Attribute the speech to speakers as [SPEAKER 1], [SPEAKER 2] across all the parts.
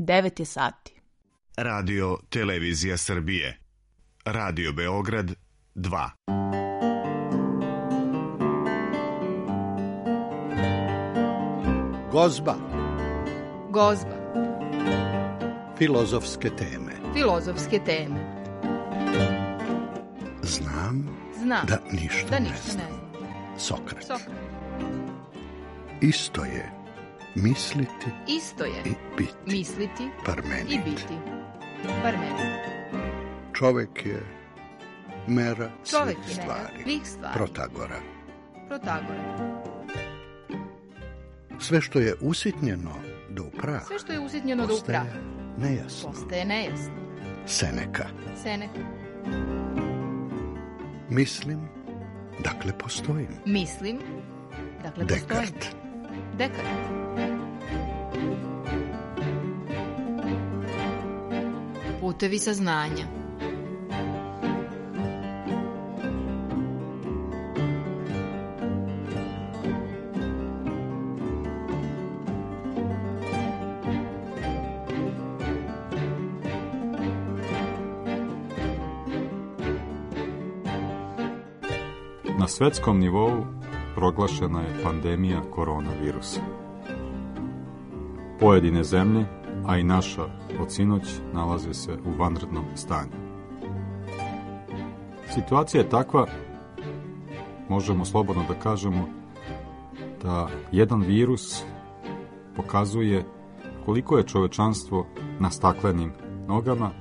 [SPEAKER 1] 9 je sati.
[SPEAKER 2] Radio Televizija Srbije. Radio Beograd 2.
[SPEAKER 3] Gozba.
[SPEAKER 4] Gozba.
[SPEAKER 3] Filozofske teme.
[SPEAKER 4] Filozofske teme.
[SPEAKER 3] Znam da ništa ne znam. Sokrat. Isto je misliti i biti.
[SPEAKER 4] Misliti
[SPEAKER 3] Parmenid.
[SPEAKER 4] i biti. Parmenid.
[SPEAKER 3] Čovek je mera svih stvari.
[SPEAKER 4] Protagora.
[SPEAKER 3] Sve što je usitnjeno do prah.
[SPEAKER 4] Postaje nejasno.
[SPEAKER 3] Seneka. Mislim, dakle postojim. Dekart.
[SPEAKER 4] Putevi saznanja.
[SPEAKER 5] Na svetskom nivou proglašena je pandemija koronavirusa. Pojedine zemlje, a i naša od sinoć, nalaze se u vanrednom stanju. Situacija je takva, možemo slobodno da kažemo, da jedan virus pokazuje koliko je čovečanstvo na staklenim nogama,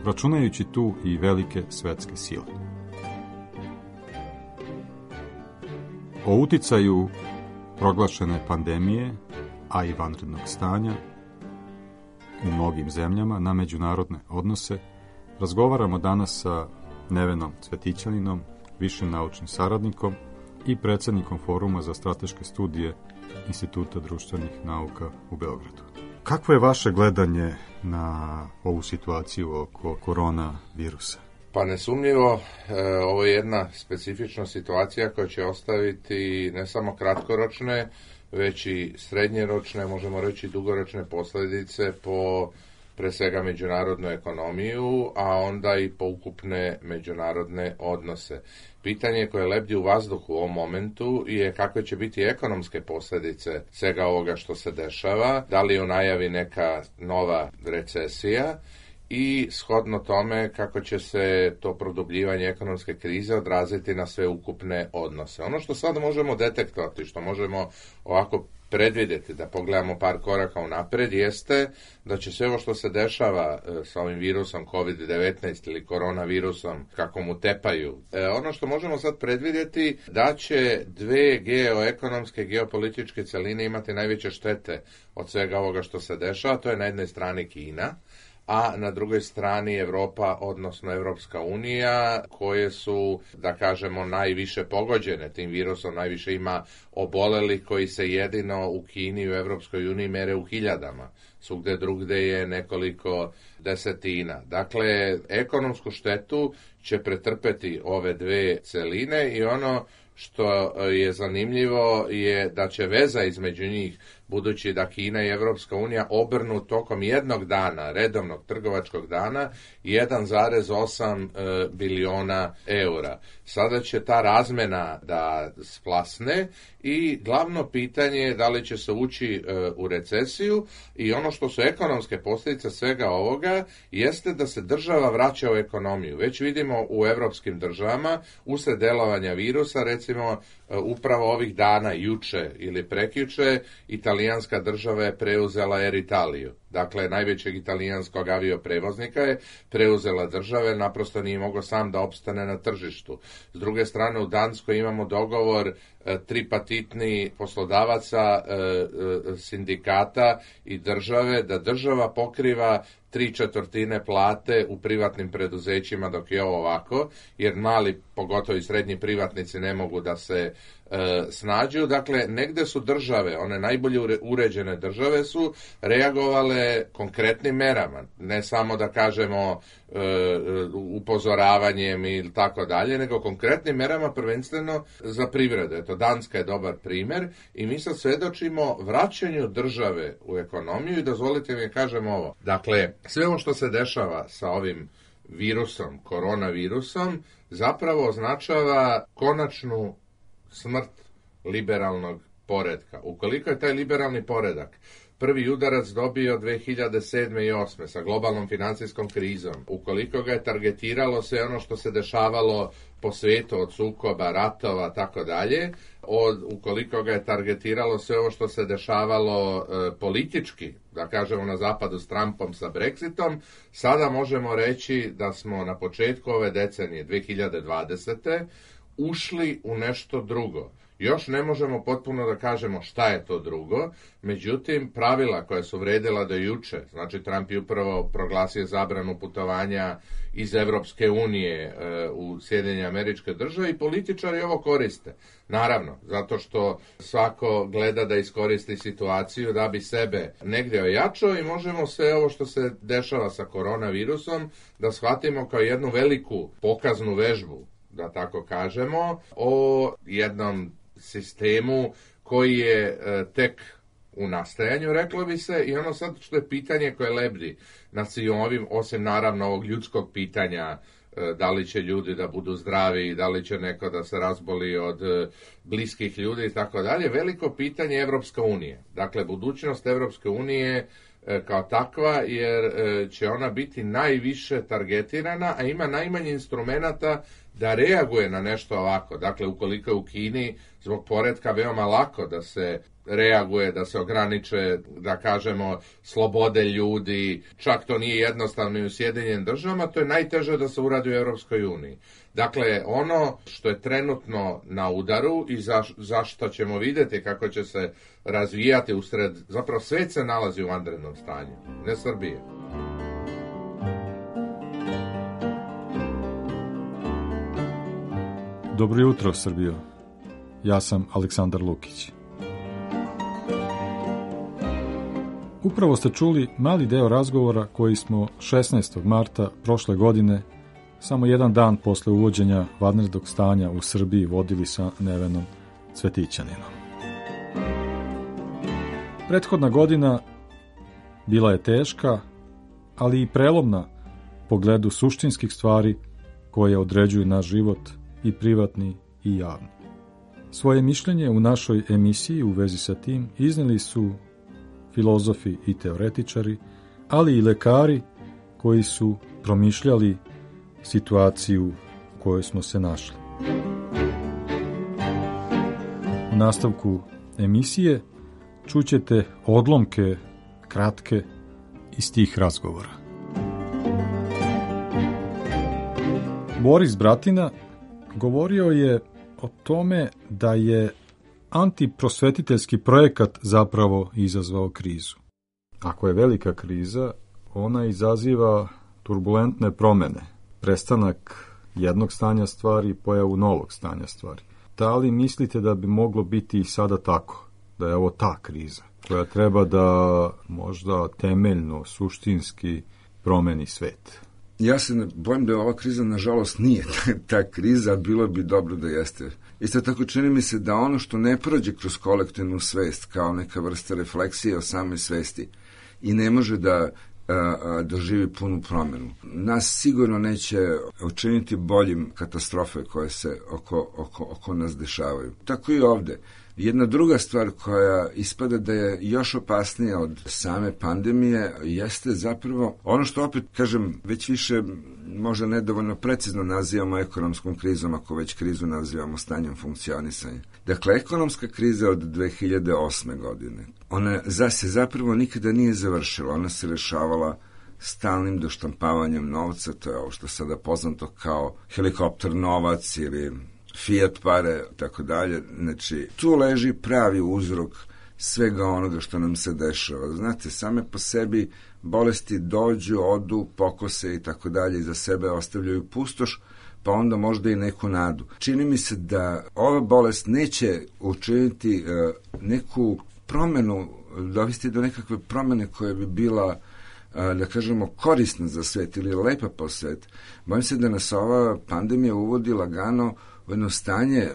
[SPEAKER 5] računajući tu i velike svetske sile. O uticaju proglašene pandemije, a i vanrednog stanja u mnogim zemljama na međunarodne odnose razgovaramo danas sa Nevenom Cvetićaninom, višim naučnim saradnikom i predsjednikom Foruma za strateške studije Instituta društvenih nauka u Beogradu. Kakvo je vaše gledanje na ovu situaciju oko koronavirusa?
[SPEAKER 6] Pa nesumnjivo, ovo je jedna specifična situacija koja će ostaviti ne samo kratkoročne, već i srednjeročne, možemo reći dugoročne posljedice po pre svega međunarodnu ekonomiju, a onda i po ukupne međunarodne odnose. Pitanje koje lebdi u vazduhu u ovom momentu je kakve će biti ekonomske posljedice svega ovoga što se dešava, da li u najavi neka nova recesija, i shodno tome kako će se to produbljivanje ekonomske krize odraziti na sve ukupne odnose. Ono što sad možemo detektovati, što možemo ovako predvidjeti, da pogledamo par koraka unapred, jeste da će sve ovo što se dešava sa ovim virusom COVID-19 ili koronavirusom, kako mu tepaju, ono što možemo sad predvidjeti, da će dve geoekonomske, geopolitičke celine imati najveće štete od svega ovoga što se dešava. To je na jednoj strani Kina, a na drugoj strani Evropa, odnosno Evropska unija, koje su, da kažemo, najviše pogođene tim virusom, najviše ima obolelih koji se jedino u Kini i u Evropskoj uniji mere u hiljadama. Svugde drugde je nekoliko desetina. Dakle, ekonomsku štetu će pretrpeti ove dve celine i ono što je zanimljivo je da će veza između njih, budući da Kina i Evropska unija obrnu tokom jednog dana, redovnog trgovačkog dana, 1,8 biliona eura. Sada će ta razmena da splasne i glavno pitanje je da li će se ući u recesiju, i ono što su ekonomske posljedice svega ovoga jeste da se država vraća u ekonomiju. Već vidimo u evropskim državama usred delovanja virusa, recimo upravo ovih dana, juče ili prekjuče, italijanska država je preuzela Air Italiju. Dakle, najvećeg italijanskog avioprevoznika je preuzela države, naprosto nije mogao sam da opstane na tržištu. S druge strane, u Danskoj imamo dogovor tripartitni poslodavaca, sindikata i države, da država pokriva 3/4 plate u privatnim preduzećima dok je ovo ovako, jer mali, pogotovo i srednji privatnici ne mogu da se snađu. Dakle, negde su države, one najbolje uređene države su reagovale konkretnim merama, ne samo da kažemo upozoravanjem ili tako dalje, nego konkretnim merama prvenstveno za privredu. Eto, Danska je dobar primer i mi sad svedočimo vraćanju države u ekonomiju i dozvolite mi kažem ovo. Dakle, sve ovo što se dešava sa ovim virusom, koronavirusom, zapravo označava konačnu smrt liberalnog poretka. Ukoliko je taj liberalni poredak prvi udarac dobio 2007. i 2008. sa globalnom financijskom krizom, ukoliko ga je targetiralo sve ono što se dešavalo po svijetu od sukoba, ratova, tako dalje, ukoliko ga je targetiralo sve ovo što se dešavalo politički, da kažemo na zapadu s Trumpom, sa Brexitom, sada možemo reći da smo na početku ove decenije 2020. ušli u nešto drugo. Još ne možemo potpuno da kažemo šta je to drugo, međutim, pravila koja su vredila do juče, znači Trump je upravo proglasio zabranu putovanja iz Evropske unije u Sjedinjene Američke Države i političari ovo koriste. Naravno, zato što svako gleda da iskoristi situaciju da bi sebe negdje ojačao i možemo sve ovo što se dešava sa koronavirusom da shvatimo kao jednu veliku pokaznu vežbu, da tako kažemo, o jednom sistemu koji je tek u nastajanju, reklo bi se, i ono sad što je pitanje koje lebdi nad svim ovim, osim naravno ovog ljudskog pitanja, da li će ljudi da budu zdravi, da li će neko da se razboli od bliskih ljudi i tako dalje, veliko pitanje je Evropska unija. Dakle, budućnost Evropske unije kao takva, jer će ona biti najviše targetirana, a ima najmanje instrumenata da reaguje na nešto ovako. Dakle, ukoliko je u Kini zbog poretka veoma lako da se reaguje, da se ograniče, da kažemo, slobode ljudi, čak to nije jednostavno i u Sjedinjenim Državama, to je najteže da se uradi u Europskoj uniji. Dakle, ono što je trenutno na udaru i zašto ćemo vidjeti kako će se razvijati usred, zapravo svet se nalazi u vanrednom stanju, ne Srbije.
[SPEAKER 5] Dobro jutro, Srbijo. Ja sam Aleksandar Lukić. Upravo ste čuli mali deo razgovora koji smo 16. marta prošle godine, samo jedan dan posle uvođenja vanrednog stanja u Srbiji, vodili sa Nevenom Cvetićaninom. Prethodna godina bila je teška, ali i prelomna u pogledu suštinskih stvari koje određuju naš život, i privatni i javni. Svoje mišljenje u našoj emisiji u vezi sa tim izneli su filozofi i teoretičari, ali i lekari koji su promišljali situaciju u kojoj smo se našli. U nastavku emisije čućete odlomke kratke iz tih razgovora. Boris Bratina govorio je o tome da je antiprosvetiteljski projekat zapravo izazvao krizu. Ako je velika kriza, ona izaziva turbulentne promene, prestanak jednog stanja stvari i pojavu novog stanja stvari. Da li mislite da bi moglo biti i sada tako, da je ovo ta kriza, koja treba da možda temeljno, suštinski promeni svet?
[SPEAKER 1] Ja se bojim da ova kriza, nažalost, nije ta kriza, bilo bi dobro da jeste. Isto tako čini mi se da ono što ne prođe kroz kolektivnu svest kao neka vrsta refleksije o samoj svesti i ne može da doživi punu promjenu. Nas sigurno neće učiniti boljim katastrofe koje se oko nas dešavaju. Tako i ovde. Jedna druga stvar koja ispada da je još opasnija od same pandemije jeste zapravo ono što opet, kažem, već više možda nedovoljno precizno nazivamo ekonomskom krizom, ako već krizu nazivamo stanjem funkcionisanja. Dakle, ekonomska kriza od 2008. godine, ona se zapravo nikada nije završila, ona se rešavala stalnim doštampavanjem novca, to je ovo što sada poznato kao helikopter novac ili fiat pare, tako dalje. Znači, tu leži pravi uzrok svega onoga što nam se dešava. Znate, same po sebi bolesti dođu, odu, pokose i tako dalje, i za sebe ostavljaju pustoš, pa onda možda i neku nadu. Čini mi se da ova bolest neće učiniti neku promenu, dovesti do nekakve promene koja bi bila, da kažemo, korisna za svet ili lepa po svet. Bojim se da nas ova pandemija uvodi lagano u jedno stanje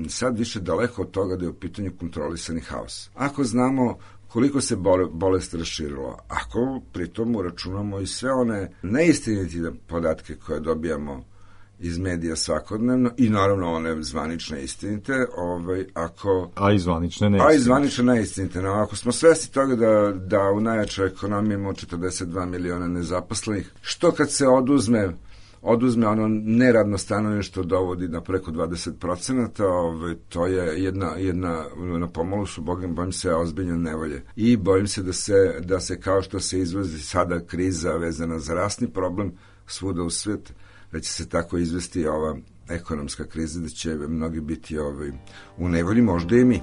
[SPEAKER 1] sad više daleko od toga da je u pitanju kontrolisani haos. Ako znamo koliko se bolest raširila, ako pritom uračunamo i sve one neistinite podatke koje dobijamo iz medija svakodnevno i naravno one zvanične istinite,
[SPEAKER 5] a i zvanične
[SPEAKER 1] neistinite. No, ako smo svesni toga da u najjačoj ekonomiji imamo 42 miliona nezaposlenih, što kad se oduzme ono neradno stanovništvo dovodi na preko 20%, to je jedna na pomolu su, bojim se, ozbiljne nevolje. I bojim se da se kao što se izvozi sada kriza vezana za rasni problem svuda u svijet, da će se tako izvesti ova ekonomska kriza, da će mnogi biti u nevolji, možda i mi.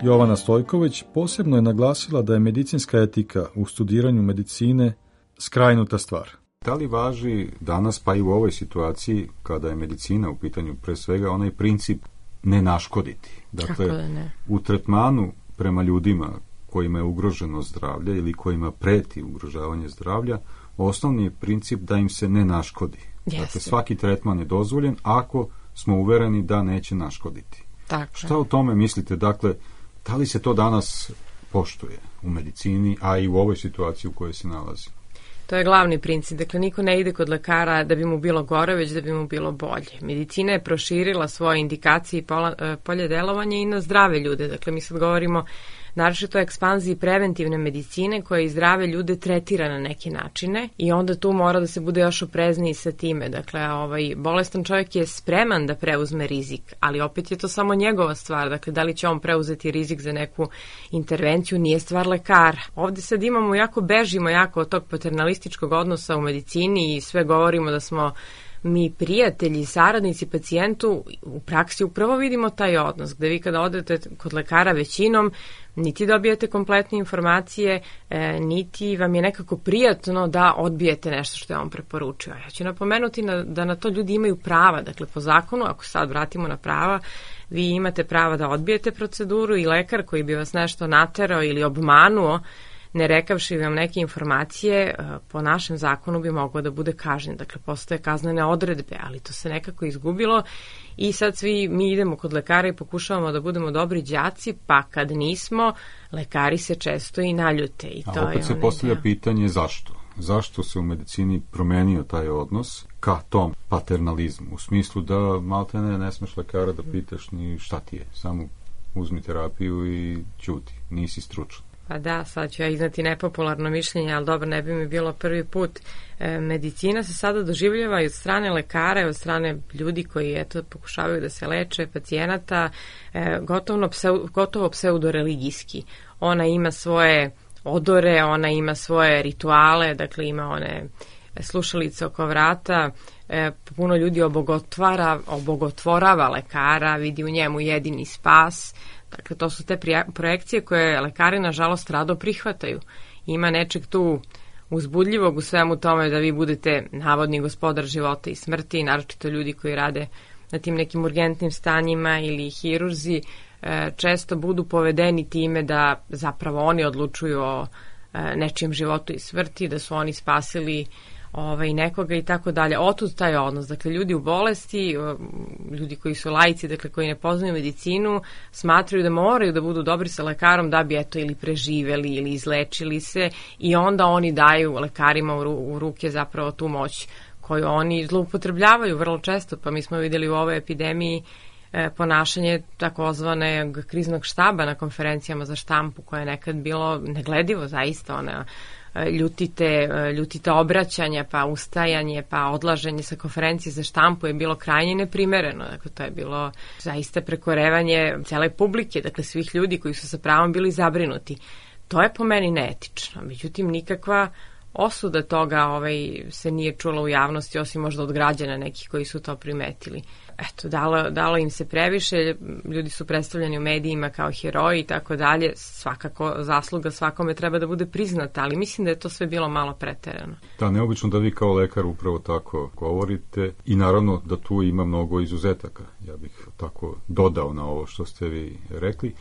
[SPEAKER 5] Jovana Stojković posebno je naglasila da je medicinska etika u studiranju medicine skrajnuta stvar. Da li važi danas, pa i u ovoj situaciji, kada je medicina u pitanju, pre svega onaj princip ne naškoditi? Dakle, u tretmanu prema ljudima kojima je ugroženo zdravlje ili kojima preti ugrožavanje zdravlja, osnovni je princip da im se ne naškodi. Jeste. Dakle, svaki tretman je dozvoljen ako smo uvereni da neće naškoditi.
[SPEAKER 7] Tako.
[SPEAKER 5] Šta o tome mislite? Dakle, da li se to danas poštuje u medicini, a i u ovoj situaciji u kojoj se nalazi?
[SPEAKER 7] To je glavni princip. Dakle, niko ne ide kod lekara da bi mu bilo gore, već da bi mu bilo bolje. Medicina je proširila svoje indikacije i polje delovanja i na zdrave ljude. Dakle, mi sad govorimo naročito o ekspanziji preventivne medicine koja i zdrave ljude tretira na neke načine i onda tu mora da se bude još oprezniji sa time. Dakle, bolestan čovjek je spreman da preuzme rizik, ali opet je to samo njegova stvar. Dakle, da li će on preuzeti rizik za neku intervenciju, nije stvar lekara. Ovde sad bežimo jako od tog paternalističkog odnosa u medicini i sve govorimo da smo mi prijatelji, saradnici pacijentu. U praksi upravo vidimo taj odnos, gde vi kada odete kod lekara većinom, niti dobijete kompletne informacije, niti vam je nekako prijatno da odbijete nešto što je on preporučio. Ja ću napomenuti da na to ljudi imaju prava. Dakle, po zakonu, ako sad vratimo na prava, vi imate prava da odbijete proceduru i lekar koji bi vas nešto naterao ili obmanuo, ne rekavši vam neke informacije, po našem zakonu bi moglo da bude kažnjen. Dakle, postoje kaznene odredbe, ali to se nekako izgubilo i sad svi mi idemo kod lekara i pokušavamo da budemo dobri đaci, pa kad nismo, lekari se često i naljute. I to
[SPEAKER 5] opet se postavlja pitanje zašto? Zašto se u medicini promenio taj odnos ka tom paternalizmu? U smislu da maltene ne smeš lekara da pitaš ni šta ti je, samo uzmi terapiju i ćuti, nisi stručan.
[SPEAKER 7] Pa da, sad ću ja iznati nepopularno mišljenje, ali dobro, ne bi mi bilo prvi put. Medicina se sada doživljava i od strane lekara i od strane ljudi koji pokušavaju da se leče, pacijenata, gotovo pseudoreligijski. Ona ima svoje odore, ona ima svoje rituale, dakle ima one slušalice oko vrata, puno ljudi obogotvorava lekara, vidi u njemu jedini spas. Dakle, to su te projekcije koje lekari, nažalost, rado prihvataju. Ima nečeg tu uzbudljivog u svemu tome da vi budete navodni gospodar života i smrti, naročito ljudi koji rade na tim nekim urgentnim stanjima ili hirurzi, često budu povedeni time da zapravo oni odlučuju o nečijem životu i smrti, da su oni spasili nekoga i tako dalje. Otud taj odnos. Dakle, ljudi u bolesti, ljudi koji su laici, dakle, koji ne poznaju medicinu, smatraju da moraju da budu dobri sa lekarom da bi ili preživeli ili izlečili se i onda oni daju lekarima u ruke zapravo tu moć koju oni zloupotrebljavaju vrlo često. Pa mi smo vidjeli u ovoj epidemiji ponašanje takozvanog kriznog štaba na konferencijama za štampu koje je nekad bilo negledivo, zaista ljutite obraćanja, pa ustajanje, pa odlaženje sa konferencije za štampu je bilo krajnje neprimereno. Dakle, to je bilo zaista prekorevanje cele publike, dakle svih ljudi koji su sa pravom bili zabrinuti. To je po meni neetično. Međutim, nikakva osuda toga se nije čula u javnosti, osim možda od građana nekih koji su to primetili. Eto, dalo im se previše, ljudi su predstavljeni u medijima kao heroji i tako dalje, svakako zasluga svakome treba da bude priznata, ali mislim da je to sve bilo malo preterano.
[SPEAKER 5] Da, neobično da vi kao lekar upravo tako govorite i naravno da tu ima mnogo izuzetaka. Ja bih tako dodao na ovo što ste vi rekli.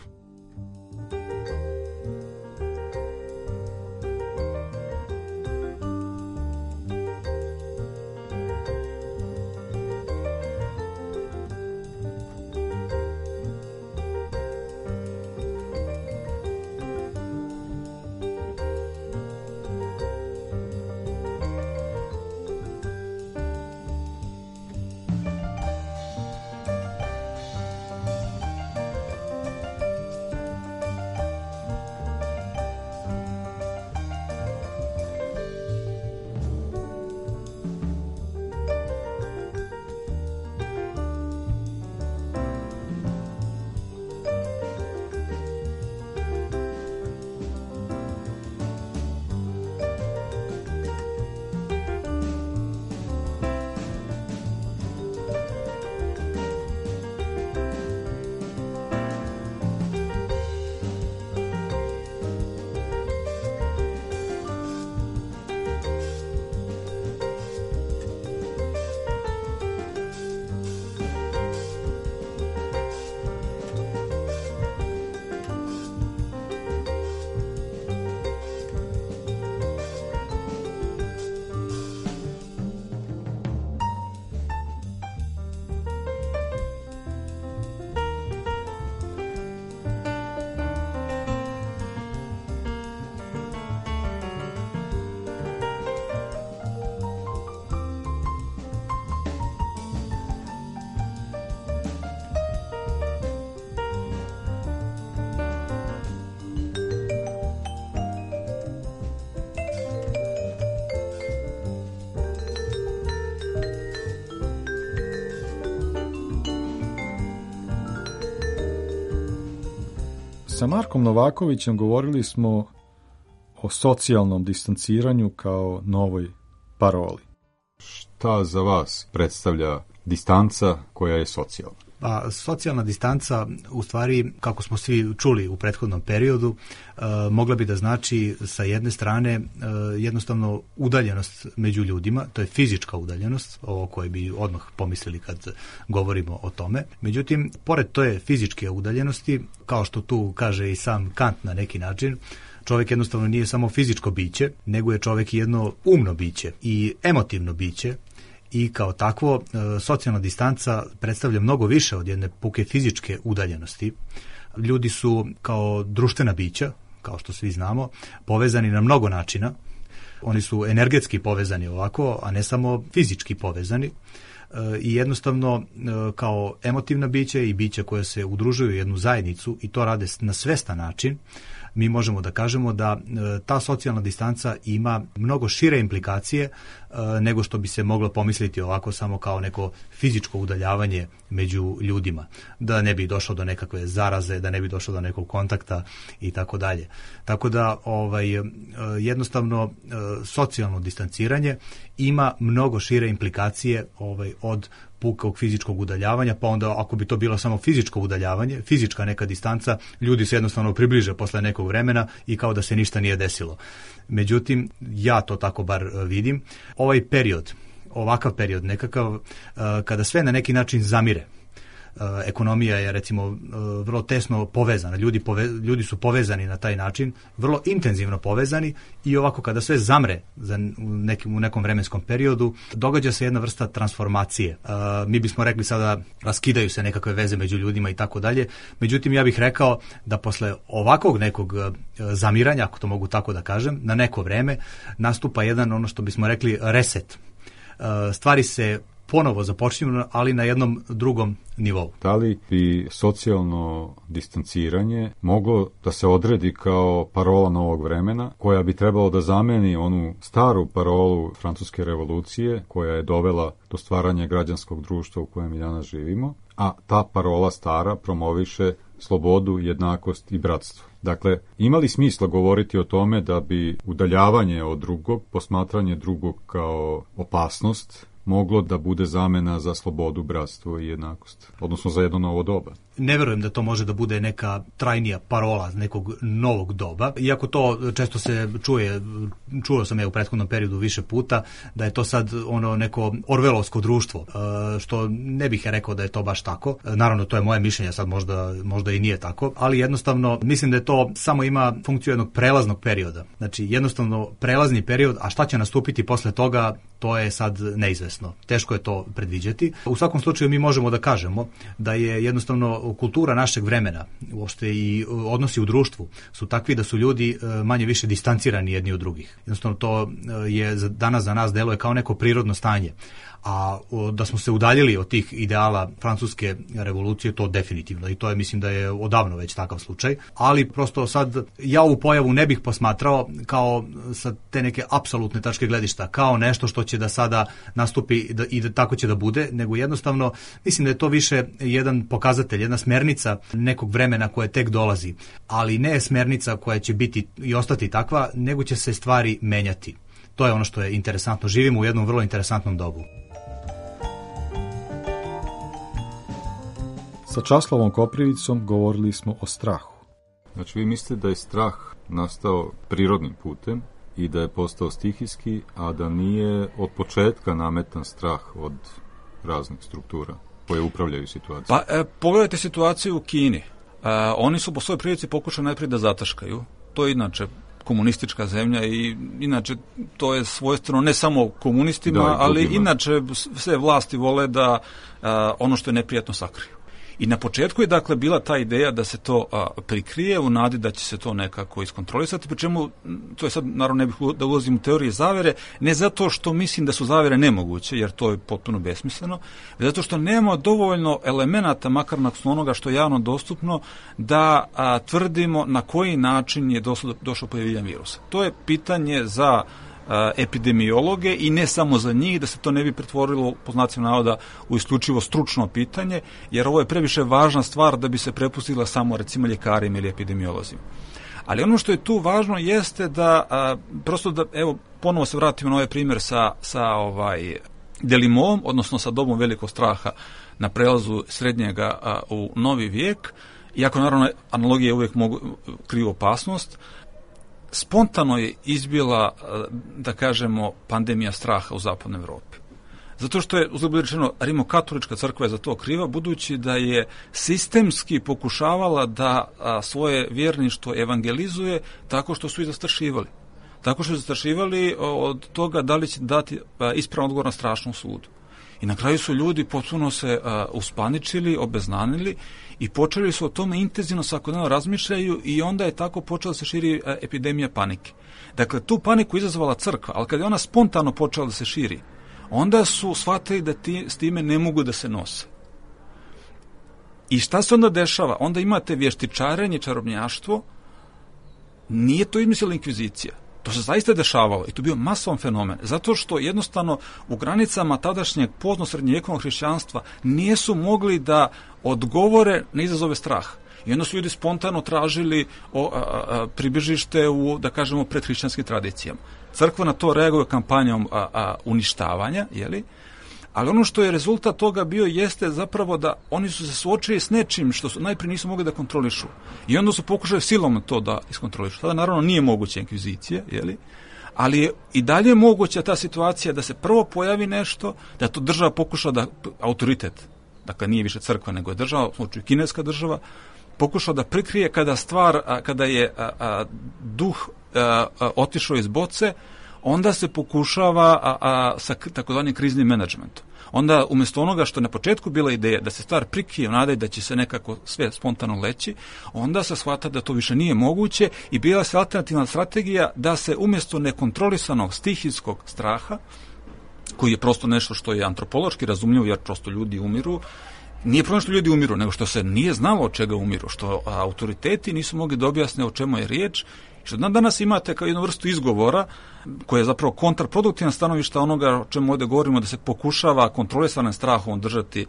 [SPEAKER 5] Sa Markom Novakovićem govorili smo o socijalnom distanciranju kao novoj paroli. Šta za vas predstavlja distanca koja je socijalna?
[SPEAKER 8] Pa, socijalna distanca, u stvari, kako smo svi čuli u prethodnom periodu, mogla bi da znači sa jedne strane jednostavno udaljenost među ljudima, to je fizička udaljenost, ovo koje bi odmah pomislili kad govorimo o tome. Međutim, pored toje fizičke udaljenosti, kao što tu kaže i sam Kant na neki način, čovjek jednostavno nije samo fizičko biće, nego je čovjek jedno umno biće i emotivno biće. I kao takvo, socijalna distanca predstavlja mnogo više od jedne puke fizičke udaljenosti. Ljudi su kao društvena bića, kao što svi znamo, povezani na mnogo načina. Oni su energetski povezani ovako, a ne samo fizički povezani. I jednostavno kao emotivna bića i bića koja se udružuju u jednu zajednicu i to rade na svestan način, mi možemo da kažemo da ta socijalna distanca ima mnogo šire implikacije nego što bi se moglo pomisliti ovako samo kao neko fizičko udaljavanje među ljudima, da ne bi došlo do nekakve zaraze, da ne bi došlo do nekog kontakta i tako dalje. Tako da jednostavno socijalno distanciranje ima mnogo šire implikacije od pukog fizičkog udaljavanja, pa onda ako bi to bilo samo fizičko udaljavanje, fizička neka distanca, ljudi se jednostavno približe posle nekog vremena i kao da se ništa nije desilo. Međutim, ja to tako bar vidim. Ovaj period, ovakav period nekakav, kada sve na neki način zamire, ekonomija je recimo vrlo tesno povezana, ljudi su povezani na taj način, vrlo intenzivno povezani i ovako kada sve zamre u nekom vremenskom periodu, događa se jedna vrsta transformacije. Mi bismo rekli sada raskidaju se nekakve veze među ljudima i tako dalje, međutim ja bih rekao da posle ovakvog nekog zamiranja, ako to mogu tako da kažem, na neko vreme nastupa jedan ono što bismo rekli reset. Stvari se ponovo započinju, ali na jednom drugom nivou.
[SPEAKER 5] Da li bi socijalno distanciranje moglo da se odredi kao parola novog vremena, koja bi trebalo da zameni onu staru parolu Francuske revolucije, koja je dovela do stvaranja građanskog društva u kojem i danas živimo, a ta parola stara promoviše slobodu, jednakost i bratstvo. Dakle, ima li smisla govoriti o tome da bi udaljavanje od drugog, posmatranje drugog kao opasnost, moglo da bude zamena za slobodu, bratstvo i jednakost, odnosno za jedno novo doba?
[SPEAKER 8] Ne verujem da to može da bude neka trajnija parola nekog novog doba, iako to često se čuo sam u prethodnom periodu više puta, da je to sad ono neko orvelovsko društvo, što ne bih rekao da je to baš tako. Naravno, to je moje mišljenje, sad možda i nije tako, ali jednostavno mislim da je to samo ima funkciju jednog prelaznog perioda. Znači, jednostavno prelazni period, a šta će nastupiti posle toga, to je sad neizvesno. Teško je to predviđati. U svakom slučaju mi možemo da kažemo da je jednostavno kultura našeg vremena, uopšte i odnosi u društvu su takvi da su ljudi manje više distancirani jedni od drugih. Jednostavno to je danas za nas deluje kao neko prirodno stanje. A da smo se udaljili od tih ideala francuske revolucije, to definitivno, i to je, mislim da je odavno već takav slučaj, ali prosto sad ja ovu pojavu ne bih posmatrao kao sa te neke apsolutne tačke gledišta, kao nešto što će da sada nastupi i da tako će da bude, nego jednostavno mislim da je to više jedan pokazatelj, jedna smernica nekog vremena koje tek dolazi, ali ne smernica koja će biti i ostati takva, nego će se stvari menjati. To je ono što je interesantno. Živimo u jednom vrlo interesantnom dobu.
[SPEAKER 5] Sa Časlavom Koprivicom govorili smo o strahu. Znači, vi mislite da je strah nastao prirodnim putem i da je postao stihijski, a da nije od početka nametan strah od raznih struktura koje upravljaju situacijom?
[SPEAKER 9] Pa, pogledajte situaciju u Kini. Oni su po svojoj prilici pokušali najprije da zataškaju. To je inače komunistička zemlja i inače to je svojstveno ne samo komunistima, ali inače sve vlasti vole da ono što je neprijatno sakriju. I na početku je dakle bila ta ideja da se to prikrije u nadi da će se to nekako iskontrolisati, pri čemu, to je sad naravno ne bih da ulazim u teorije zavere, ne zato što mislim da su zavere nemoguće, jer to je potpuno besmisleno, već zato što nema dovoljno elemenata, makar nakon onoga što je javno dostupno, da tvrdimo na koji način je došlo pojavljivanje virusa. To je pitanje za epidemiologe i ne samo za njih, da se to ne bi pretvorilo, po znacima navoda, u isključivo stručno pitanje, jer ovo je previše važna stvar da bi se prepustila samo, recimo, ljekarima ili epidemiolozima. Ali ono što je tu važno jeste da, prosto da, evo, ponovo se vratimo na ovaj primjer sa Delimovom, odnosno sa dobom velikog straha na prelazu srednjega u novi vijek, iako naravno analogije uvijek kriju opasnost. Spontano je izbila, da kažemo, pandemija straha u zapadnoj Evropi. Zato što je, uzgled rečeno, Rimokatolička crkva je za to kriva, budući da je sistemski pokušavala da svoje vjerništvo evangelizuje tako što su ih zastrašivali. Tako što su zastrašivali od toga da li će dati ispravan odgovor na strašnom sudu. I na kraju su ljudi potpuno se uspaničili, obeznanili i počeli su o tome intenzivno svakodnevno razmišljaju i onda je tako počela da se širi epidemija panike. Dakle, tu paniku izazvala crkva, ali kad je ona spontano počela da se širi, onda su shvatili da s time ne mogu da se nose. I šta se onda dešava? Onda imate vještičarenje, čarobnjaštvo, nije to izmislila inkvizicija. To se zaista dešavalo i to je bio masovan fenomen, zato što jednostavno u granicama tadašnjeg pozno-srednjovjekovnog hrišćanstva nisu mogli da odgovore na izazove straha. I onda su ljudi spontano tražili pribežište u, da kažemo, predhrišćanskim tradicijama. Crkva na to reaguje kampanjom uništavanja, jeli? Ali ono što je rezultat toga bio jeste zapravo da oni su se suočili s nečim što su najprije nisu mogli da kontrolišu. I onda su pokušali silom to da iskontrolišu. Tada naravno nije moguća inkvizicija, jeli? Ali je i dalje moguća ta situacija da se prvo pojavi nešto, da to država pokuša da, autoritet, dakle nije više crkva nego je država, u slučaju kineska država, pokuša da prikrije kada je duh otišao iz boce, onda se pokušava sa takozvanim kriznim menadžmentom. Onda umjesto onoga što je na početku bila ideja da se stvar prikrije, nadaj da će se nekako sve spontano leći, onda se shvata da to više nije moguće i bila se alternativna strategija da se umjesto nekontrolisanog stihijskog straha, koji je prosto nešto što je antropološki razumljivo jer prosto ljudi umiru, nije problem što ljudi umiru, nego što se nije znalo od čega umiru, što autoriteti nisu mogli da objasne o čemu je riječ Što danas imate kao jednu vrstu izgovora koja je zapravo kontraproduktivna stanovišta onoga o čemu ovdje govorimo, da se pokušava kontrolisanim strahom držati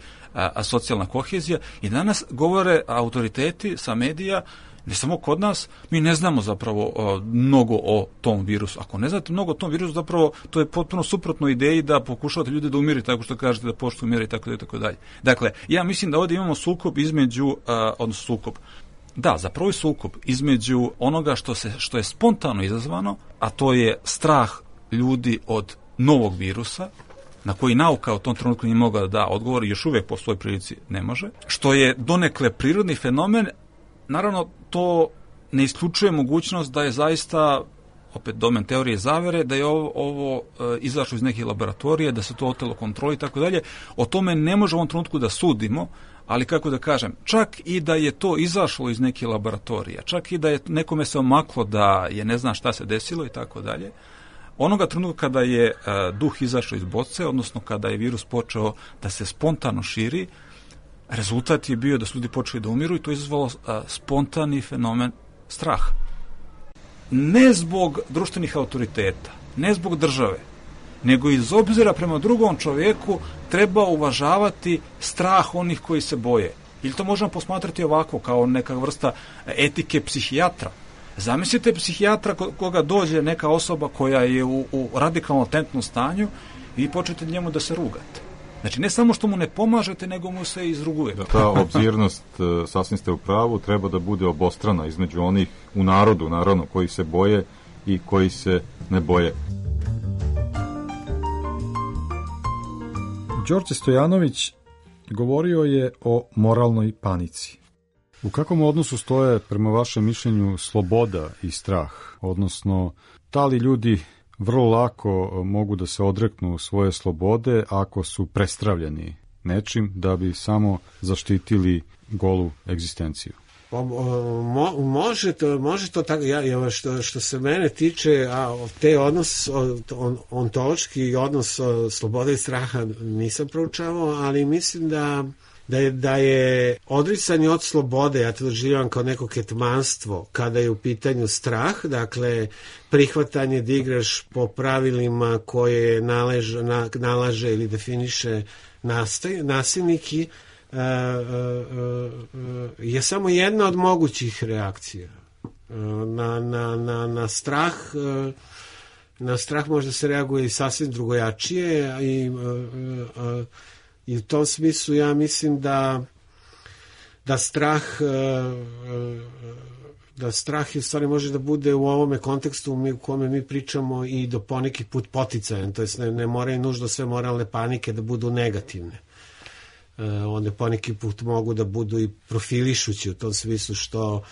[SPEAKER 9] socijalna kohezija, i danas govore autoriteti sa medija, ne samo kod nas, mi ne znamo zapravo mnogo o tom virusu. Ako ne znate mnogo o tom virusu, zapravo to je potpuno suprotno ideji da pokušavate ljude da umiri, tako što kažete da poštuju mjere i tako dalje. Dakle, ja mislim da ovdje imamo sukob između, odnosno sukob, da, zapravo je sukob između onoga što je spontano izazvano, a to je strah ljudi od novog virusa, na koji nauka u tom trenutku nije mogla da da odgovor i još uvijek po svojoj prilici ne može, što je donekle prirodni fenomen. Naravno, to ne isključuje mogućnost da je zaista, opet domen teorije zavere, da je ovo izašlo iz neke laboratorije, da se to otelo kontroli i tako dalje. O tome ne možemo u ovom trenutku da sudimo, ali kako da kažem, čak i da je to izašlo iz neke laboratorije, čak i da je nekome se omaklo da je ne zna šta se desilo i tako dalje, onoga trenutka kada je duh izašao iz boce, odnosno kada je virus počeo da se spontano širi, rezultat je bio da su ljudi počeli da umiru i to je izazvalo spontani fenomen straha. Ne zbog društvenih autoriteta, ne zbog države, nego iz obzira prema drugom čovjeku treba uvažavati strah onih koji se boje. Ili to možemo posmatrati ovako, kao neka vrsta etike psihijatra. Zamislite psihijatra koga dođe neka osoba koja je u radikalno latentnom stanju i počnete njemu da se rugate. Znači, ne samo što mu ne pomažete, nego mu se izrugujete.
[SPEAKER 5] Ta obzirnost, sasvim ste u pravu, treba da bude obostrana između onih u narodu, naravno, koji se boje i koji se ne boje. Đorđe Stojanović govorio je o moralnoj panici. U kakvom odnosu stoje, prema vašem mišljenju, sloboda i strah? Odnosno, da li ljudi vrlo lako mogu da se odreknu svoje slobode ako su prestravljeni nečim da bi samo zaštitili golu egzistenciju?
[SPEAKER 10] Može to tako. Što se mene tiče, te odnos, ontološki odnos slobode i straha nisam proučavao, ali mislim da je odricanje od slobode, ja to doživljavam kao neko ketmanstvo kada je u pitanju strah, dakle prihvatanje da igraš po pravilima koje nalaže ili definiše nasilnik je samo jedna od mogućih reakcija. Na strah možda se reaguje i sasvim drugojačije i u tom smislu ja mislim da strah u stvari može da bude u ovome kontekstu u kome mi pričamo i do poneki put poticajan, to jest ne moraju nužno sve moralne panike da budu negativne. One poneki put mogu da budu i profilišući u tom smislu što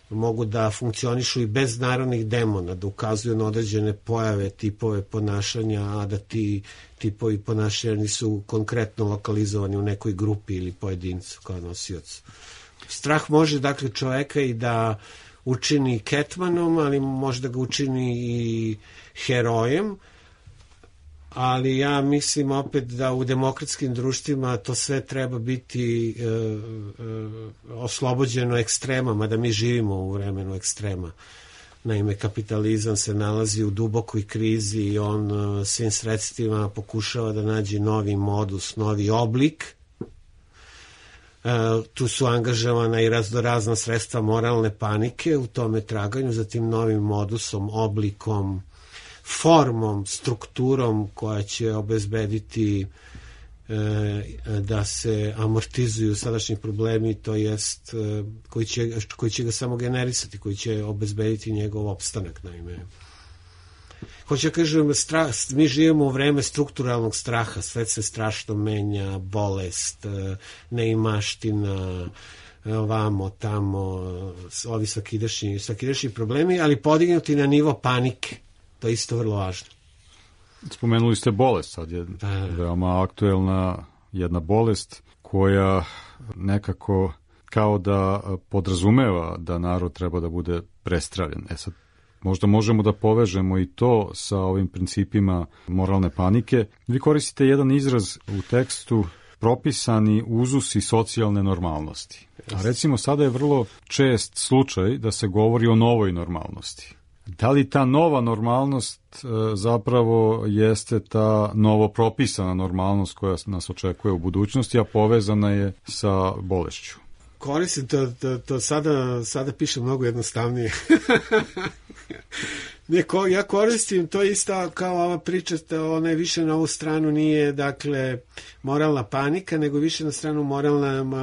[SPEAKER 10] mogu da funkcionišu i bez narodnih demona, da ukazuju na određene pojave, tipove ponašanja, a da ti tipovi ponašanja nisu konkretno lokalizovani u nekoj grupi ili pojedincu kao nosiocu. Strah može dakle čoveka i da učini ketmanom, ali može da ga učini i herojem, ali ja mislim opet da u demokratskim društvima to sve treba biti oslobođeno ekstremama, da mi živimo u vremenu ekstrema. Naime, kapitalizam se nalazi u dubokoj krizi i on svim sredstvima pokušava da nađe novi modus, novi oblik. Tu su angažovana i razna sredstva moralne panike u tome traganju za tim novim modusom, oblikom, formom, strukturom koja će obezbediti da se amortizuju sadašnji problemi, to jest koji će ga samo generisati, koji će obezbediti njegov opstanak. Naime, hoće da kažem, mi živimo u vreme strukturalnog straha, svet se strašno menja, bolest, neimaština, ovamo, tamo, ovi svakidašnji problemi, ali podignuti na nivo panike. To je isto vrlo važno.
[SPEAKER 5] Spomenuli ste bolest, sad je veoma aktuelna jedna bolest koja nekako kao da podrazumeva da narod treba da bude prestravljen. Sad, možda možemo da povežemo i to sa ovim principima moralne panike. Vi koristite jedan izraz u tekstu, propisani uzusi socijalne normalnosti. A recimo sada je vrlo čest slučaj da se govori o novoj normalnosti. Da li ta nova normalnost zapravo jeste ta novopropisana normalnost koja nas očekuje u budućnosti, a povezana je sa bolešću?
[SPEAKER 10] Koristim to sada piše mnogo jednostavnije. Ja koristim to isto kao ova priča, ona je više na ovu stranu nije, dakle, moralna panika, nego više na stranu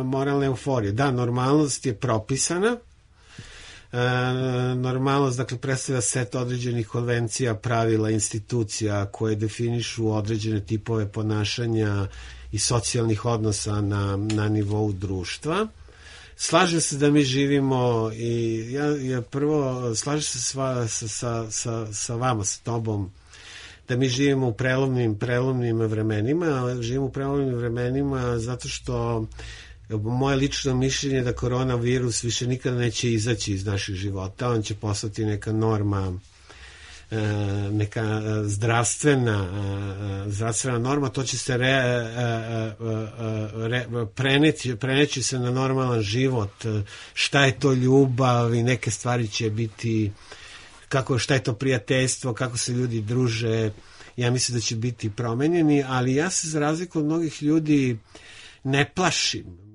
[SPEAKER 10] moralna euforija. Da, normalnost je propisana. Normalnost, dakle, predstavlja set određenih konvencija, pravila, institucija koje definišu određene tipove ponašanja i socijalnih odnosa na nivou društva. Slažem se da mi živimo i ja prvo slažem se sa vama, sa tobom, da mi živimo u prelomnim vremenima. Živimo u prelomnim vremenima zato što moje lično mišljenje je da koronavirus više nikada neće izaći iz naših života. On će postati neka norma, neka zdravstvena norma. To će se preneći se na normalan život. Šta je to ljubav i neke stvari će biti, šta je to prijateljstvo, kako se ljudi druže. Ja mislim da će biti promenjeni, ali ja se za razliku od mnogih ljudi ne plašim.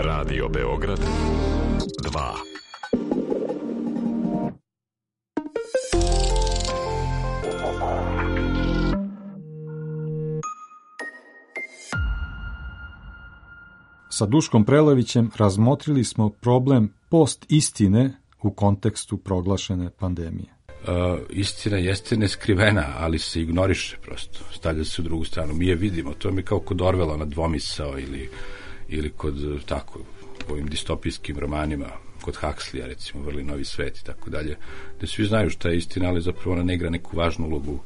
[SPEAKER 11] Radio Beograd 2.
[SPEAKER 5] Sa Duškom Prelevićem razmotrili smo problem post-istine u kontekstu proglašene pandemije.
[SPEAKER 12] Istina jeste neskrivena, ali se ignoriše prosto, stavlja se u drugu stranu. Mi je vidimo, to mi kao kod Orwella na dvomisao ili kod tako ovim distopijskim romanima, kod Huxleya recimo, Vrli novi svet i tako dalje, gde svi znaju šta je istina, ali zapravo ona ne igra neku važnu ulogu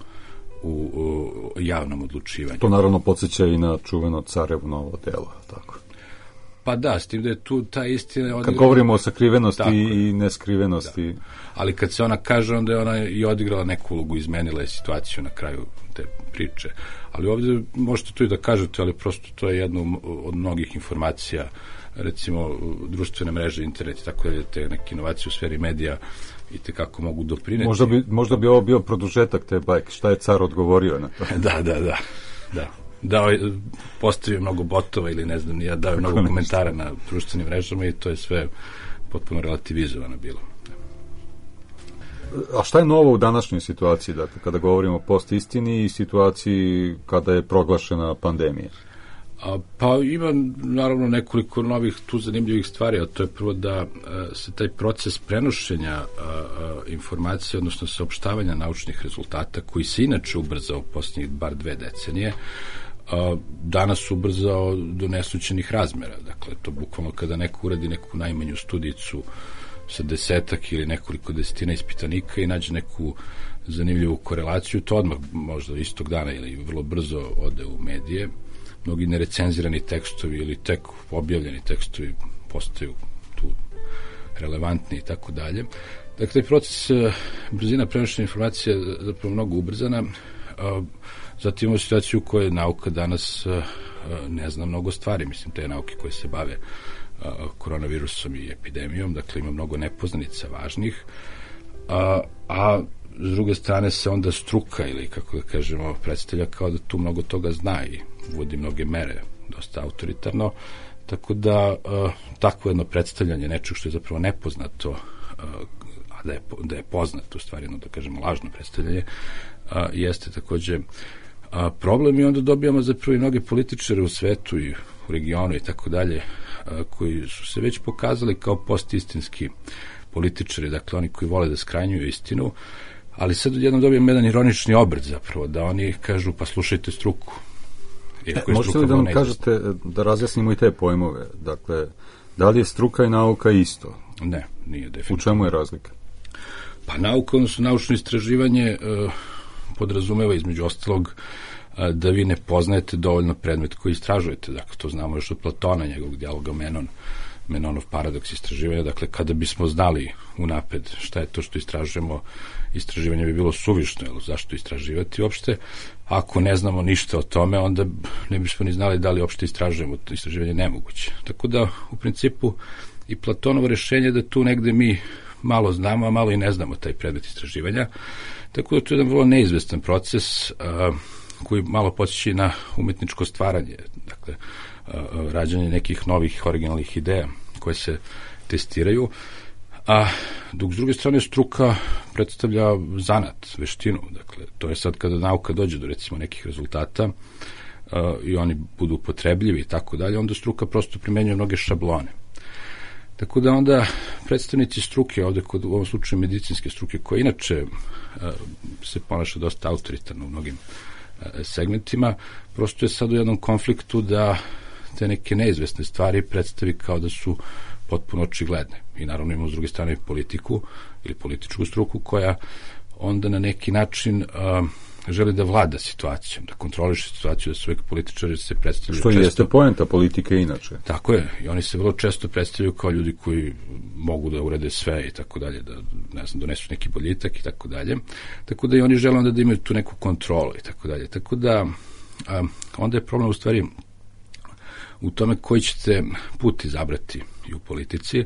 [SPEAKER 12] u javnom odlučivanju.
[SPEAKER 5] To naravno podsjeća i na čuveno Carevo novo delo, tako.
[SPEAKER 12] Pa da, s tim da je tu ta istina...
[SPEAKER 5] Kad govorimo o sakrivenosti i neskrivenosti...
[SPEAKER 12] Da. Ali kad se ona kaže, onda je ona i odigrala neku ulogu, izmenila je situaciju na kraju te priče. Ali ovdje možete to i da kažete, ali prosto to je jedno od mnogih informacija, recimo društvene mreže, internet i tako dalje, te neke inovacije u sferi medija i te kako mogu doprineti.
[SPEAKER 5] Možda bi ovo bio produžetak te bajke, šta je car odgovorio na to?
[SPEAKER 12] Da, postavio mnogo botova ili ne znam, ja dao mnogo komentara na društvenim mrežama i to je sve potpuno relativizovano bilo.
[SPEAKER 5] A šta je novo u današnjoj situaciji, dakle, kada govorimo o post-istini i situaciji kada je proglašena pandemija?
[SPEAKER 12] Pa ima naravno nekoliko novih tu zanimljivih stvari, a to je prvo da se taj proces prenošenja informacije, odnosno saopštavanja naučnih rezultata, koji se inače ubrzao u posljednjih bar 2 decenije, danas ubrzao do nesućenih razmera. Dakle, to bukvalno kada neko uradi neku najmanju studijicu sa 10 ili nekoliko desetina ispitanika i nađe neku zanimljivu korelaciju, to odmah možda istog dana ili vrlo brzo ode u medije. Mnogi nerecenzirani tekstovi ili tek objavljeni tekstovi postaju tu relevantni i tako dalje. Dakle, taj proces, brzina prenošenja informacija je zapravo mnogo ubrzana. Zatim imamo situaciju u kojoj nauka danas ne zna mnogo stvari, mislim, te nauke koje se bave koronavirusom i epidemijom, dakle ima mnogo nepoznanica važnih, a s druge strane se onda struka ili, kako da kažemo, predstavlja kao da tu mnogo toga zna i uvodi mnoge mere, dosta autoritarno, tako da takvo jedno predstavljanje nečeg što je zapravo nepoznato, a da je poznato, u stvari jedno, da kažemo, lažno predstavljanje, jeste takođe problem i onda dobijamo zapravo i mnoge političare u svetu i u regionu i tako dalje, koji su se već pokazali kao postistinski političari, dakle oni koji vole da skrajnjuju istinu, ali sad odjednom dobijemo jedan ironični obrt zapravo, da oni kažu pa slušajte struku.
[SPEAKER 5] Možete li da nam kažete, da razjasnimo i te pojmove, dakle, da li je struka i nauka isto?
[SPEAKER 12] Ne, nije definitivno.
[SPEAKER 5] U čemu je razlika?
[SPEAKER 12] Pa nauka, odnosno naučno istraživanje podrazumeva između ostalog da vi ne poznajete dovoljno predmet koji istražujete. Dakle, to znamo još od Platona, njegovog dijaloga Menon. Menonov paradoks istraživanja. Dakle, kada bismo znali unapred šta je to što istražujemo, istraživanje bi bilo suvišno, jer zašto istraživati uopšte? Ako ne znamo ništa o tome, onda ne bismo ni znali da li uopšte istražujemo, to istraživanje je nemoguće. Tako da, u principu, i Platonovo rešenje da tu negde mi malo znamo, a malo i ne znamo taj predmet istraživanja. Tako da to je jedan vrlo neizvestan proces koji malo podsjeća na umetničko stvaranje, dakle, rađanje nekih novih originalnih ideja koje se testiraju, a dok s druge strane struka predstavlja zanat, veštinu. Dakle, to je sad kada nauka dođe do recimo nekih rezultata i oni budu upotrebljivi i tako dalje, onda struka prosto primenjuje mnoge šablone. Tako da onda predstavnici struke, ovde kod, u ovom slučaju medicinske struke, koja inače se ponaša dosta autoritarno u mnogim segmentima, prosto je sad u jednom konfliktu da te neke neizvesne stvari predstavi kao da su potpuno očigledne. I naravno imamo s druge strane politiku ili političku struku koja onda na neki način želi da vlada situacijom, da kontroliše situaciju, da su uvek političari se predstavljaju
[SPEAKER 5] što
[SPEAKER 12] često.
[SPEAKER 5] Jeste poenta politike inače.
[SPEAKER 12] Tako je, i oni se vrlo često predstavljaju kao ljudi koji mogu da urede sve i tako dalje, da, ne znam, donesu neki boljitak i tako dalje. Tako da i oni žele onda da imaju tu neku kontrolu i tako dalje. Tako da onda je problem u stvari u tome koji ćete put izabrati i u politici.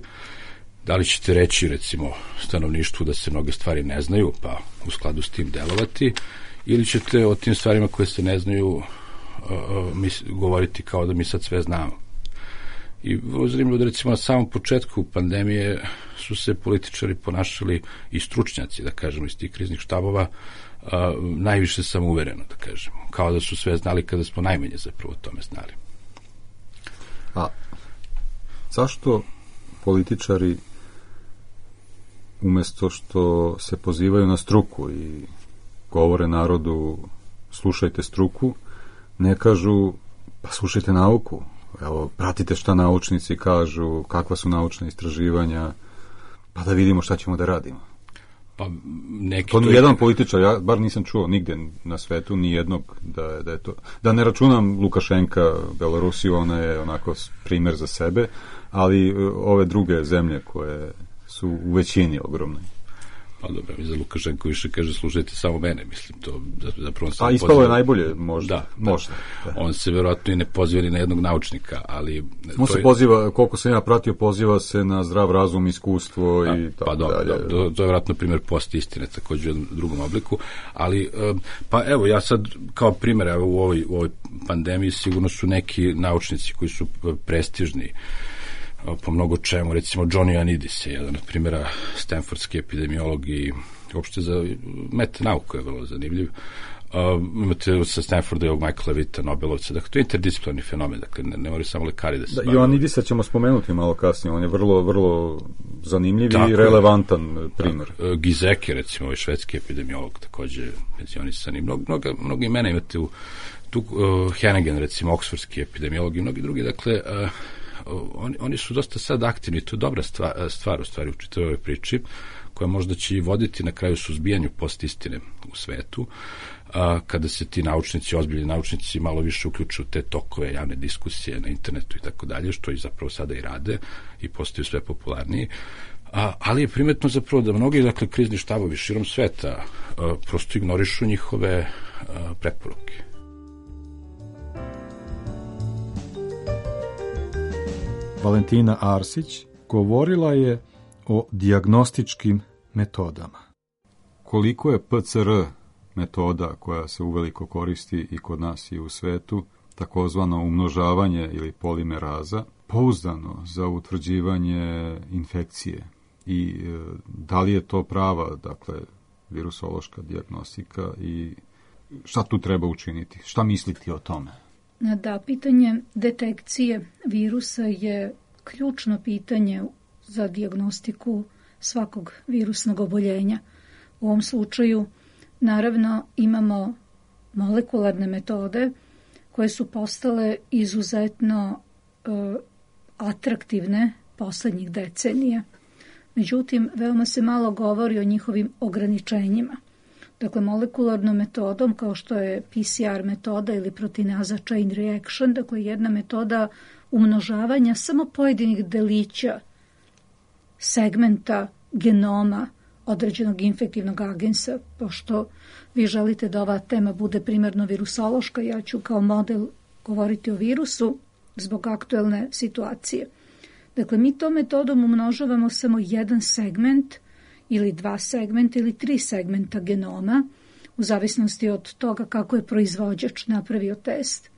[SPEAKER 12] Da li ćete reći, recimo, stanovništvu da se mnoge stvari ne znaju, pa u skladu s tim delovati, ili ćete o tim stvarima koje se ne znaju govoriti kao da mi sad sve znamo. I vrlo zanimljivo da recimo na samom početku pandemije su se političari ponašali i stručnjaci, da kažemo, iz tih kriznih štabova, najviše samouvereno, da kažemo. Kao da su sve znali kada smo najmanje zapravo o tome znali.
[SPEAKER 5] A zašto političari umesto što se pozivaju na struku i govore narodu slušajte struku, ne kažu pa slušajte nauku, evo pratite šta naučnici kažu, kakva su naučna istraživanja, pa da vidimo šta ćemo da radimo.
[SPEAKER 12] Pa neki
[SPEAKER 5] to nijedan političar, ja bar nisam čuo nigde na svetu nijednog da je to, da ne računam Lukašenka, Belorusiju, ona je onako primer za sebe, ali ove druge zemlje koje su u većini ogromne.
[SPEAKER 12] Pa dobro, mi za Lukašenko više kaže slušajte samo mene, mislim to zapravo
[SPEAKER 5] a ispalo je najbolje, možda. Da.
[SPEAKER 12] On se verovatno i ne poziva ni na jednog naučnika, ali
[SPEAKER 5] on se poziva, koliko sam ja pratio, poziva se na zdrav razum, iskustvo i tako dalje.
[SPEAKER 12] To je verovatno primjer postistine, također u jednom drugom obliku, ali pa evo, ja sad kao primjer, evo u ovoj pandemiji sigurno su neki naučnici koji su prestižni po mnogo čemu, recimo Johnny Ioannidis je jedan od primjera stanfordski epidemiolog i uopšte za metanauku je vrlo zanimljiv. Imate sa Stanforda i ovog Michaela Witta, Nobelovca, dakle to je interdisciplinarni fenomen, dakle ne moraju samo lekari da se bavaju.
[SPEAKER 5] Ioannidisa ćemo spomenuti malo kasnije, on je vrlo, vrlo zanimljiv i relevantan primjer.
[SPEAKER 12] Gizeke, recimo, ovaj švedski epidemiolog, također penzionisan i mnogo imena imate u tu Hennigan, recimo, oksfordski epidemiolog i mnogi drugi, dakle oni su dosta sad aktivni, to je dobra stvar u stvari u čitavoj ovoj priči, koja možda će i voditi na kraju suzbijanju postistine u svetu, kada se ti naučnici, ozbiljni naučnici, malo više uključuju te tokove javne diskusije na internetu i tako dalje, što i zapravo sada i rade i postaju sve popularniji. Ali je primetno zapravo da mnogi, dakle, krizni štabovi širom sveta prosto ignorišu njihove preporuke.
[SPEAKER 5] Valentina Arsić govorila je o dijagnostičkim metodama. Koliko je PCR metoda koja se uveliko koristi i kod nas i u svetu, takozvano umnožavanje ili polimeraza, pouzdano za utvrđivanje infekcije i da li je to prava, dakle, virusološka dijagnostika i šta tu treba učiniti? Šta misliti o tome?
[SPEAKER 13] Da, pitanje detekcije virusa je ključno pitanje za dijagnostiku svakog virusnog oboljenja. U ovom slučaju, naravno, imamo molekularne metode koje su postale izuzetno atraktivne poslednjih decenija. Međutim, veoma se malo govori o njihovim ograničenjima. Dakle, molekularnom metodom, kao što je PCR metoda ili proteinaza chain reaction, dakle jedna metoda umnožavanja samo pojedinih delića segmenta genoma određenog infektivnog agensa. Pošto vi želite da ova tema bude primarno virusološka, ja ću kao model govoriti o virusu zbog aktuelne situacije. Dakle, mi tom metodom umnožavamo samo jedan segment ili 2 segmenta ili 3 segmenta genoma, u zavisnosti od toga kako je proizvođač napravio test.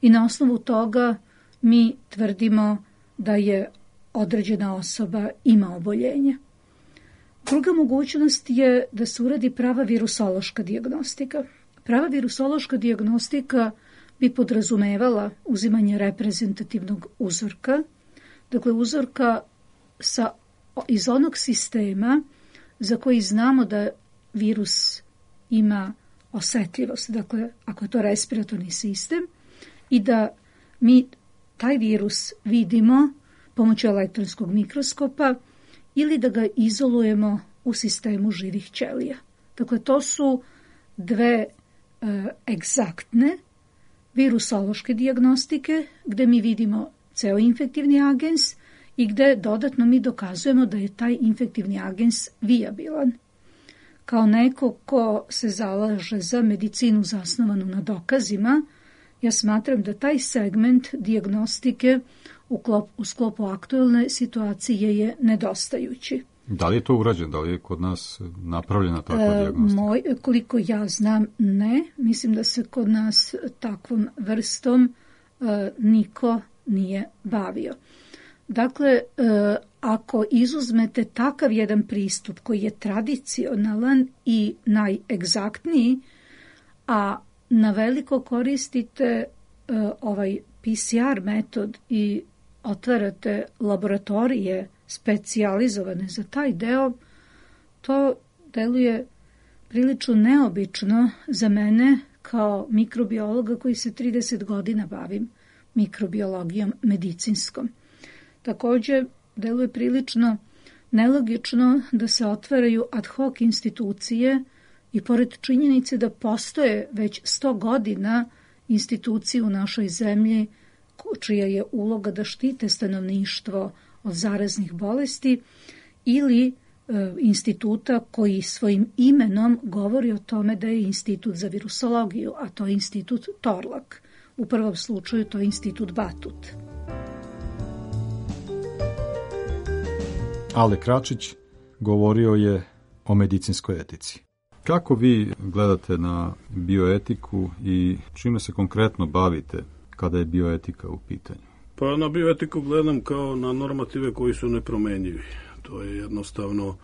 [SPEAKER 13] I na osnovu toga mi tvrdimo da je određena osoba ima oboljenje. Druga mogućnost je da se uradi prava virusološka dijagnostika. Prava virusološka dijagnostika bi podrazumevala uzimanje reprezentativnog uzorka, dakle uzorka iz onog sistema za koji znamo da virus ima osetljivost, dakle ako je to respiratorni sistem, i da mi taj virus vidimo pomoću elektronskog mikroskopa ili da ga izolujemo u sistemu živih ćelija. Dakle, to su dve egzaktne virusološke dijagnostike gde mi vidimo ceo infektivni agens i gde dodatno mi dokazujemo da je taj infektivni agens vijabilan. Kao neko ko se zalaže za medicinu zasnovanu na dokazima, ja smatram da taj segment dijagnostike u sklopu aktuelne situacije je nedostajući.
[SPEAKER 5] Da li je to urađeno? Da li je kod nas napravljena takva dijagnostika?
[SPEAKER 13] Koliko ja znam, ne. Mislim da se kod nas takvom vrstom niko nije bavio. Dakle, ako izuzmete takav jedan pristup koji je tradicionalan i najegzaktniji, a na veliko koristite ovaj PCR metod i otvarate laboratorije specijalizovane za taj deo, to deluje prilično neobično za mene kao mikrobiologa koji se 30 godina bavim mikrobiologijom medicinskom. Također, deluje prilično nelogično da se otvaraju ad hoc institucije i pored činjenice da postoje već 100 godina institucije u našoj zemlji čija je uloga da štite stanovništvo od zaraznih bolesti ili instituta koji svojim imenom govori o tome da je institut za virusologiju, a to je institut Torlak. U prvom slučaju to je institut Batut.
[SPEAKER 5] Ale Kračić govorio je o medicinskoj etici. Kako vi gledate na bioetiku i čime se konkretno bavite kada je bioetika u pitanju?
[SPEAKER 14] Pa na bioetiku gledam kao na normative koji su nepromenjivi. To je jednostavno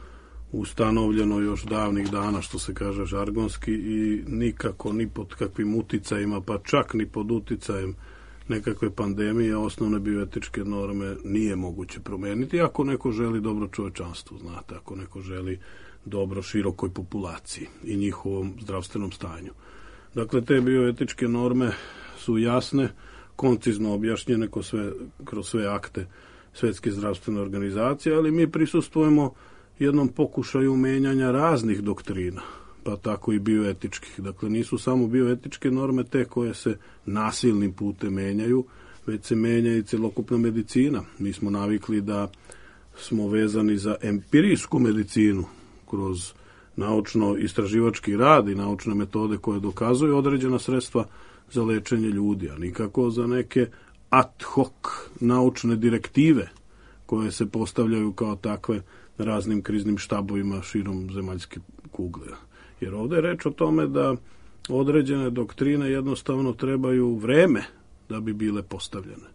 [SPEAKER 14] ustanovljeno još davnih dana, što se kaže žargonski, i nikako ni pod kakvim uticajima, pa čak ni pod uticajem nekakve pandemije, osnovne bioetičke norme nije moguće promeniti ako neko želi dobro čovečanstvu, znate, ako neko želi dobro širokoj populaciji i njihovom zdravstvenom stanju. Dakle, te bioetičke norme su jasne, koncizno objašnjene kroz sve akte Svetske zdravstvene organizacije, ali mi prisustvujemo jednom pokušaju menjanja raznih doktrina, pa tako i bioetičkih. Dakle, nisu samo bioetičke norme te koje se nasilnim putem menjaju, već se menja i celokupna medicina. Mi smo navikli da smo vezani za empirijsku medicinu kroz naučno-istraživački rad i naučne metode koje dokazuju određena sredstva za lečenje ljudi, a nikako za neke ad hoc naučne direktive koje se postavljaju kao takve raznim kriznim štabovima širom zemaljske kugle. Jer ovdje je reč o tome da određene doktrine jednostavno trebaju vreme da bi bile postavljene.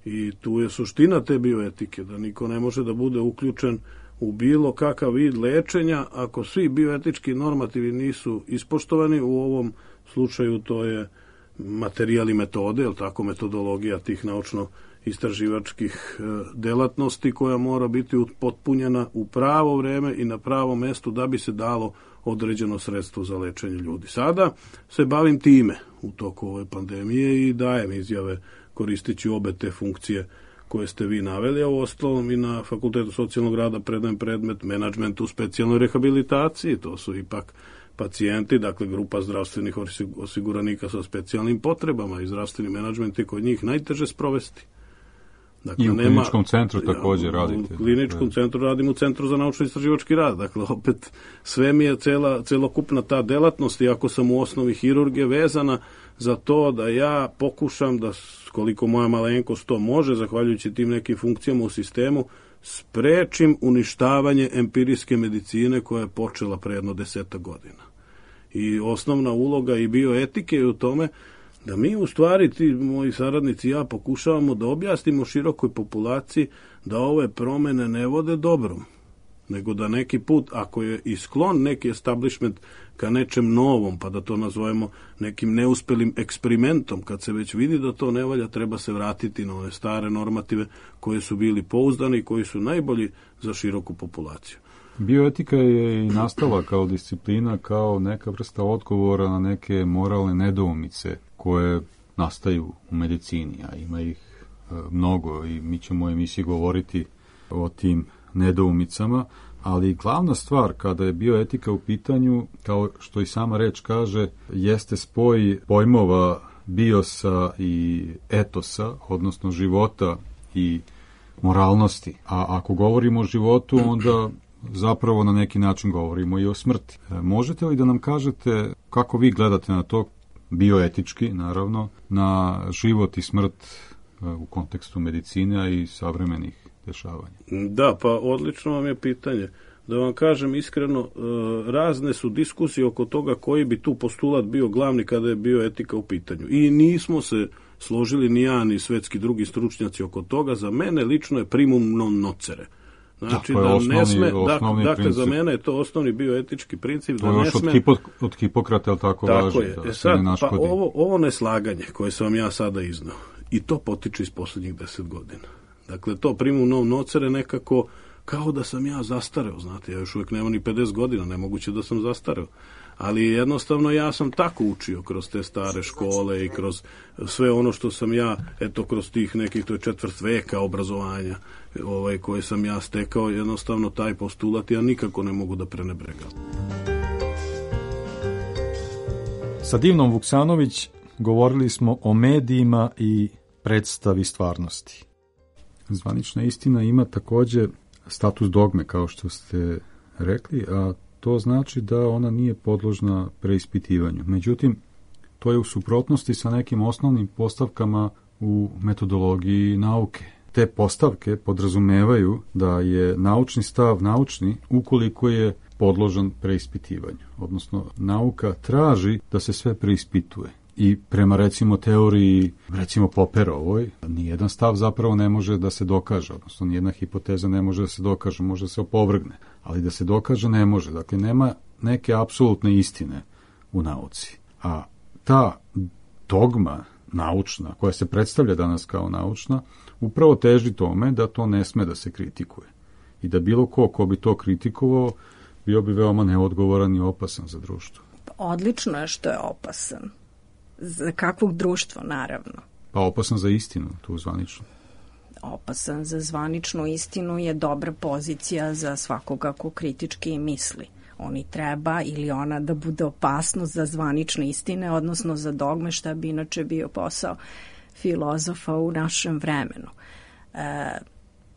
[SPEAKER 14] I tu je suština te bioetike, da niko ne može da bude uključen u bilo kakav vid lečenja ako svi bioetički normativi nisu ispoštovani. U ovom slučaju to je materijal i metode, je li tako, metodologija tih naučno-istraživačkih delatnosti koja mora biti potpunjena u pravo vreme i na pravo mesto da bi se dalo određeno sredstvo za lečenje ljudi. Sada se bavim time u toku ove pandemije i dajem izjave koristeći obe te funkcije koje ste vi naveli, a uostalom i na Fakultetu socijalnog rada predajem predmet menadžment u specijalnoj rehabilitaciji. To su ipak pacijenti, dakle grupa zdravstvenih osiguranika sa specijalnim potrebama i zdravstveni menadžment je kod njih najteže sprovesti. Dakle,
[SPEAKER 5] i u kliničkom centru također radite.
[SPEAKER 14] U kliničkom centru radim u Centru za naučno-istraživački rad. Dakle, opet, sve mi je celokupna ta delatnost, iako sam u osnovi hirurgije, vezana za to da ja pokušam da, koliko moja malenkost to može, zahvaljujući tim nekim funkcijama u sistemu, sprečim uništavanje empirijske medicine koja je počela pre jedno 10 godina. I osnovna uloga i bioetike je u tome da mi u stvari, ti moji saradnici i ja, pokušavamo da objasnimo širokoj populaciji da ove promene ne vode dobrom, nego da neki put, ako je i sklon neki establishment ka nečem novom, pa da to nazovemo nekim neuspelim eksperimentom, kad se već vidi da to ne valja, treba se vratiti na one stare normative koje su bili pouzdani i koji su najbolji za široku populaciju.
[SPEAKER 5] Bioetika je i nastala kao disciplina, kao neka vrsta odgovora na neke moralne nedoumice koje nastaju u medicini, a ima ih mnogo i mi ćemo u emisiji govoriti o tim nedoumicama, ali glavna stvar kada je bioetika u pitanju, kao što i sama reč kaže, jeste spoj pojmova biosa i etosa, odnosno života i moralnosti. A ako govorimo o životu, onda zapravo na neki način govorimo i o smrti. Možete li da nam kažete kako vi gledate na to, bioetički naravno, na život i smrt u kontekstu medicine i savremenih dešavanja?
[SPEAKER 14] Da, pa odlično vam je pitanje. Da vam kažem iskreno, razne su diskusije oko toga koji bi tu postulat bio glavni kada je bioetika u pitanju. I nismo se složili ni ja ni svetski drugi stručnjaci oko toga. Za mene lično je primum non nocere. Znači da ne sme, dakle za mene je to osnovni bioetički princip.
[SPEAKER 5] To je još od Hipokrata, je li tako važi?
[SPEAKER 14] Tako je. Sad, pa ovo neslaganje koje sam vam ja sada iznao, i to potiče iz poslednjih 10 godina. Dakle, to primum non nocere nekako kao da sam ja zastareo, znate, ja još uvijek nemam ni 50 godina, nemoguće da sam zastareo. Ali jednostavno ja sam tako učio kroz te stare škole i kroz sve ono što sam ja, eto, kroz tih nekih, to je 4. veka obrazovanja koje sam ja stekao, jednostavno taj postulat ja nikako ne mogu da prenebregam.
[SPEAKER 5] Sa Divnom Vuksanović govorili smo o medijima i predstavi stvarnosti. Zvanična istina ima također status dogme, kao što ste rekli, a to znači da ona nije podložna preispitivanju. Međutim, to je u suprotnosti sa nekim osnovnim postavkama u metodologiji nauke. Te postavke podrazumevaju da je naučni stav naučni ukoliko je podložan preispitivanju. Odnosno, nauka traži da se sve preispituje. I prema, recimo, teoriji, recimo Popperovoj, nijedan stav zapravo ne može da se dokaže, odnosno nijedna hipoteza ne može da se dokaže, može da se opovrgne, ali da se dokaže ne može. Dakle, nema neke apsolutne istine u nauci. A ta dogma naučna, koja se predstavlja danas kao naučna, upravo teži tome da to ne sme da se kritikuje. I da bilo ko bi to kritikovao, bio bi veoma neodgovoran i opasan za društvo.
[SPEAKER 15] Odlično je što je opasan. Za kakvog društva, naravno.
[SPEAKER 5] Pa opasan za istinu, tu zvanično.
[SPEAKER 15] Opasan za zvaničnu istinu je dobra pozicija za svakoga ko kritički misli. Oni treba ili ona da bude opasnost za zvanične istine, odnosno za dogme, šta bi inače bio posao filozofa u našem vremenu.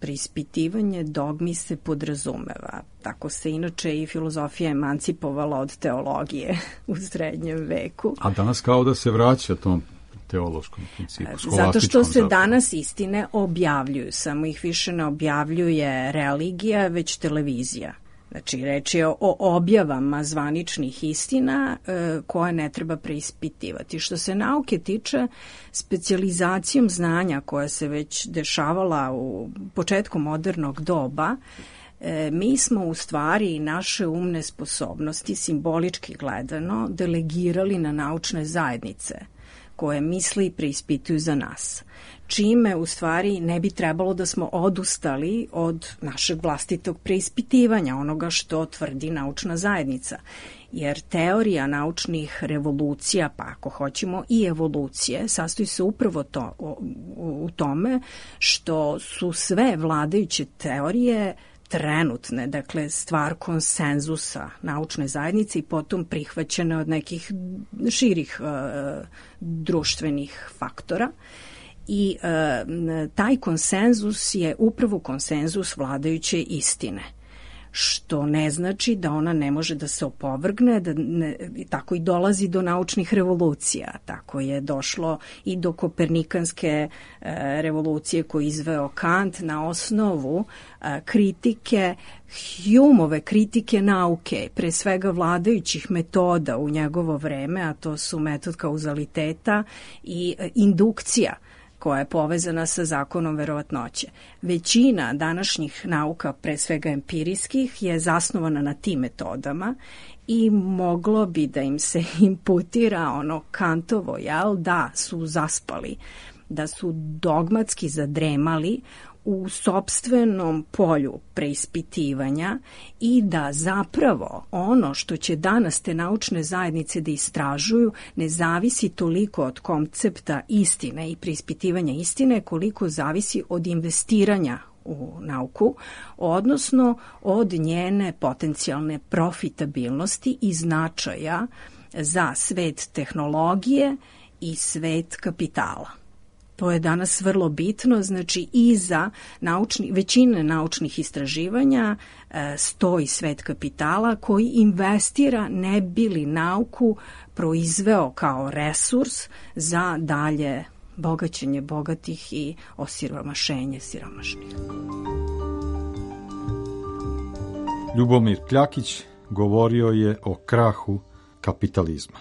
[SPEAKER 15] Preispitivanje dogmi se podrazumeva. Tako se inače i filozofija emancipovala od teologije u srednjem veku.
[SPEAKER 5] A danas kao da se vraća tom teološkom principu,
[SPEAKER 15] zato što se danas istine objavljuju, samo ih više ne objavljuje religija, već televizija. Znači, reč je o objavama zvaničnih istina koje ne treba preispitivati. Što se nauke tiče, specijalizacijom znanja koja se već dešavala u početku modernog doba, mi smo u stvari naše umne sposobnosti, simbolički gledano, delegirali na naučne zajednice koje misle i preispituju za nas. Čime u stvari ne bi trebalo da smo odustali od našeg vlastitog preispitivanja, onoga što tvrdi naučna zajednica. Jer teorija naučnih revolucija, pa ako hoćemo i evolucije, sastoji se upravo u tome što su sve vladajuće teorije trenutne, dakle stvar konsenzusa naučne zajednice i potom prihvaćene od nekih širih društvenih faktora. I taj konsenzus je upravo konsenzus vladajuće istine, što ne znači da ona ne može da se opovrgne, tako i dolazi do naučnih revolucija. Tako je došlo i do kopernikanske revolucije koju izveo Kant na osnovu kritike, Humeove kritike nauke, pre svega vladajućih metoda u njegovo vreme, a to su metod kauzaliteta i indukcija, koja je povezana sa zakonom verovatnoće. Većina današnjih nauka, pre svega empirijskih, je zasnovana na tim metodama i moglo bi da im se imputira ono Kantovo, da su zaspali, da su dogmatski zadremali u sopstvenom polju preispitivanja i da zapravo ono što će danas te naučne zajednice da istražuju ne zavisi toliko od koncepta istine i preispitivanja istine koliko zavisi od investiranja u nauku, odnosno od njene potencijalne profitabilnosti i značaja za svet tehnologije i svet kapitala. To je danas vrlo bitno, znači i za većine naučnih istraživanja stoji svet kapitala koji investira ne bi li nauku proizveo kao resurs za dalje bogaćenje bogatih i osiromašenje siromašnih.
[SPEAKER 5] Ljubomir Kljakić govorio je o krahu kapitalizma.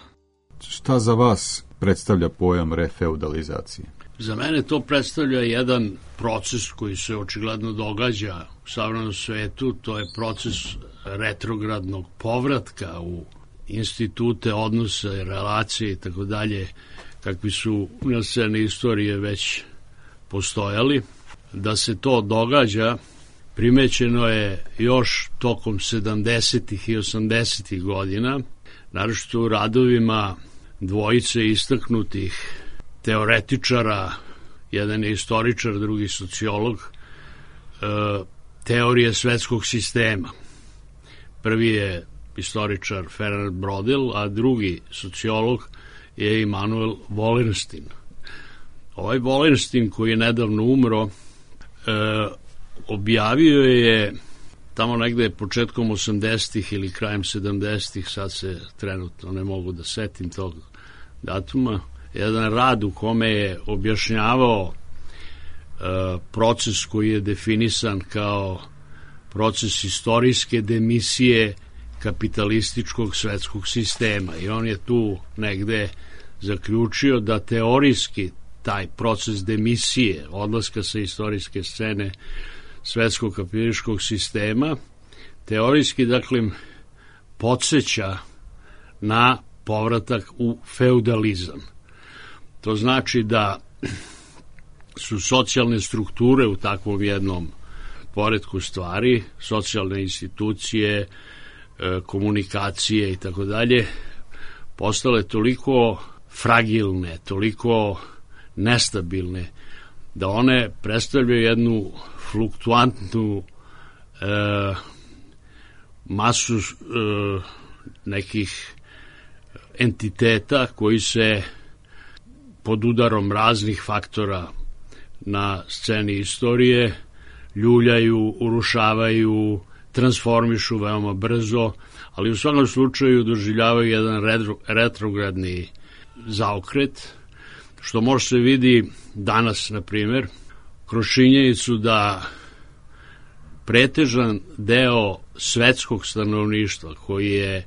[SPEAKER 5] Šta za vas predstavlja pojam refeudalizacije?
[SPEAKER 16] Za mene to predstavlja jedan proces koji se očigledno događa u savremenom svetu, to je proces retrogradnog povratka u institute, odnose, relacije i tako dalje, kakvi su na sceni istorije već postojali. Da se to događa, primećeno je još tokom 70. i 80. godina, naročito u radovima dvojice istaknutih teoretičara, jedan je istoričar, drugi sociolog, teorije svetskog sistema. Prvi je istoričar Fernand Braudel, a drugi sociolog je Immanuel Wallerstein. Ovaj Wallerstein, koji je nedavno umro, objavio je tamo negde početkom 80-ih ili krajem 70-ih, sad se trenutno ne mogu da setim tog datuma, jedan rad u kome je objašnjavao proces koji je definisan kao proces istorijske demisije kapitalističkog svetskog sistema. I on je tu negde zaključio da teorijski taj proces demisije, odlaska sa istorijske scene svetskog kapitalističkog sistema, teorijski, dakle, podsjeća na povratak u feudalizam. To znači da su socijalne strukture u takvom jednom poretku stvari, socijalne institucije, komunikacije i tako dalje, postale toliko fragilne, toliko nestabilne, da one predstavljaju jednu fluktuantnu masu nekih entiteta koji se pod udarom raznih faktora na sceni istorije ljuljaju, urušavaju, transformišu veoma brzo, ali u svakom slučaju doživljavaju jedan retrogradni zaokret, što može se vidi danas, na primjer, kroz činjenicu da pretežan deo svetskog stanovništva koji je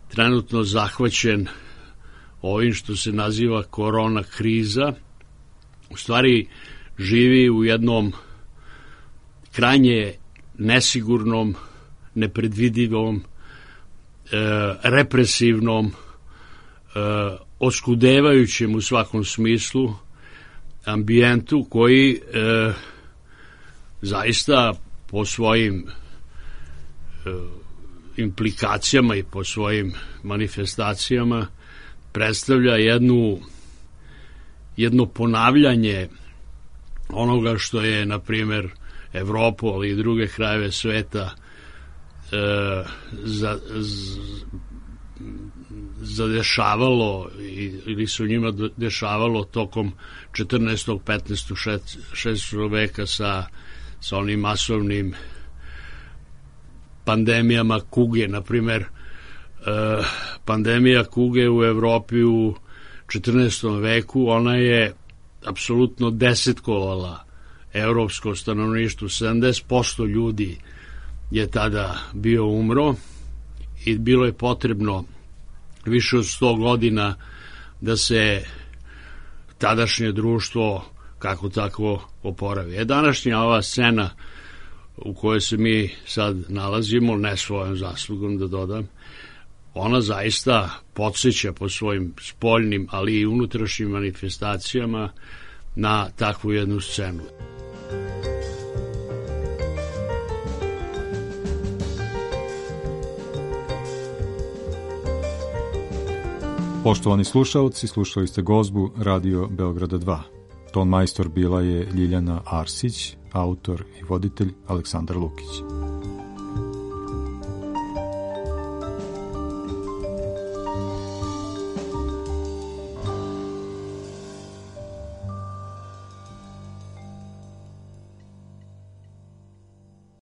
[SPEAKER 16] trenutno zahvaćen ovim što se naziva korona kriza, u stvari živi u jednom krajnje nesigurnom, nepredvidivom, represivnom, oskudevajućem u svakom smislu ambijentu koji zaista po svojim implikacijama i po svojim manifestacijama predstavlja jedno ponavljanje onoga što je, na primjer, Evropu, ali i druge krajeve zadešavalo ili se u njima dešavalo tokom 14. 15. 16. veka sa onim masovnim pandemijama kuge. Naprimer, pandemija kuge u Evropi u 14. veku, ona je apsolutno desetkovala evropsko stanovništvo. 70% ljudi je tada bio umro i bilo je potrebno više od 100 godina da se tadašnje društvo kako tako oporavi. Današnja ova scena u kojoj se mi sad nalazimo, ne svojom zaslugom da dodam, ona zaista podsjeća po svojim spoljnim, ali i unutrašnjim manifestacijama na takvu jednu scenu.
[SPEAKER 5] Poštovani slušalci, slušali ste gozbu Radio Beograda 2. Ton majstor bila je Ljiljana Arsić, autor i voditelj Aleksandar Lukić.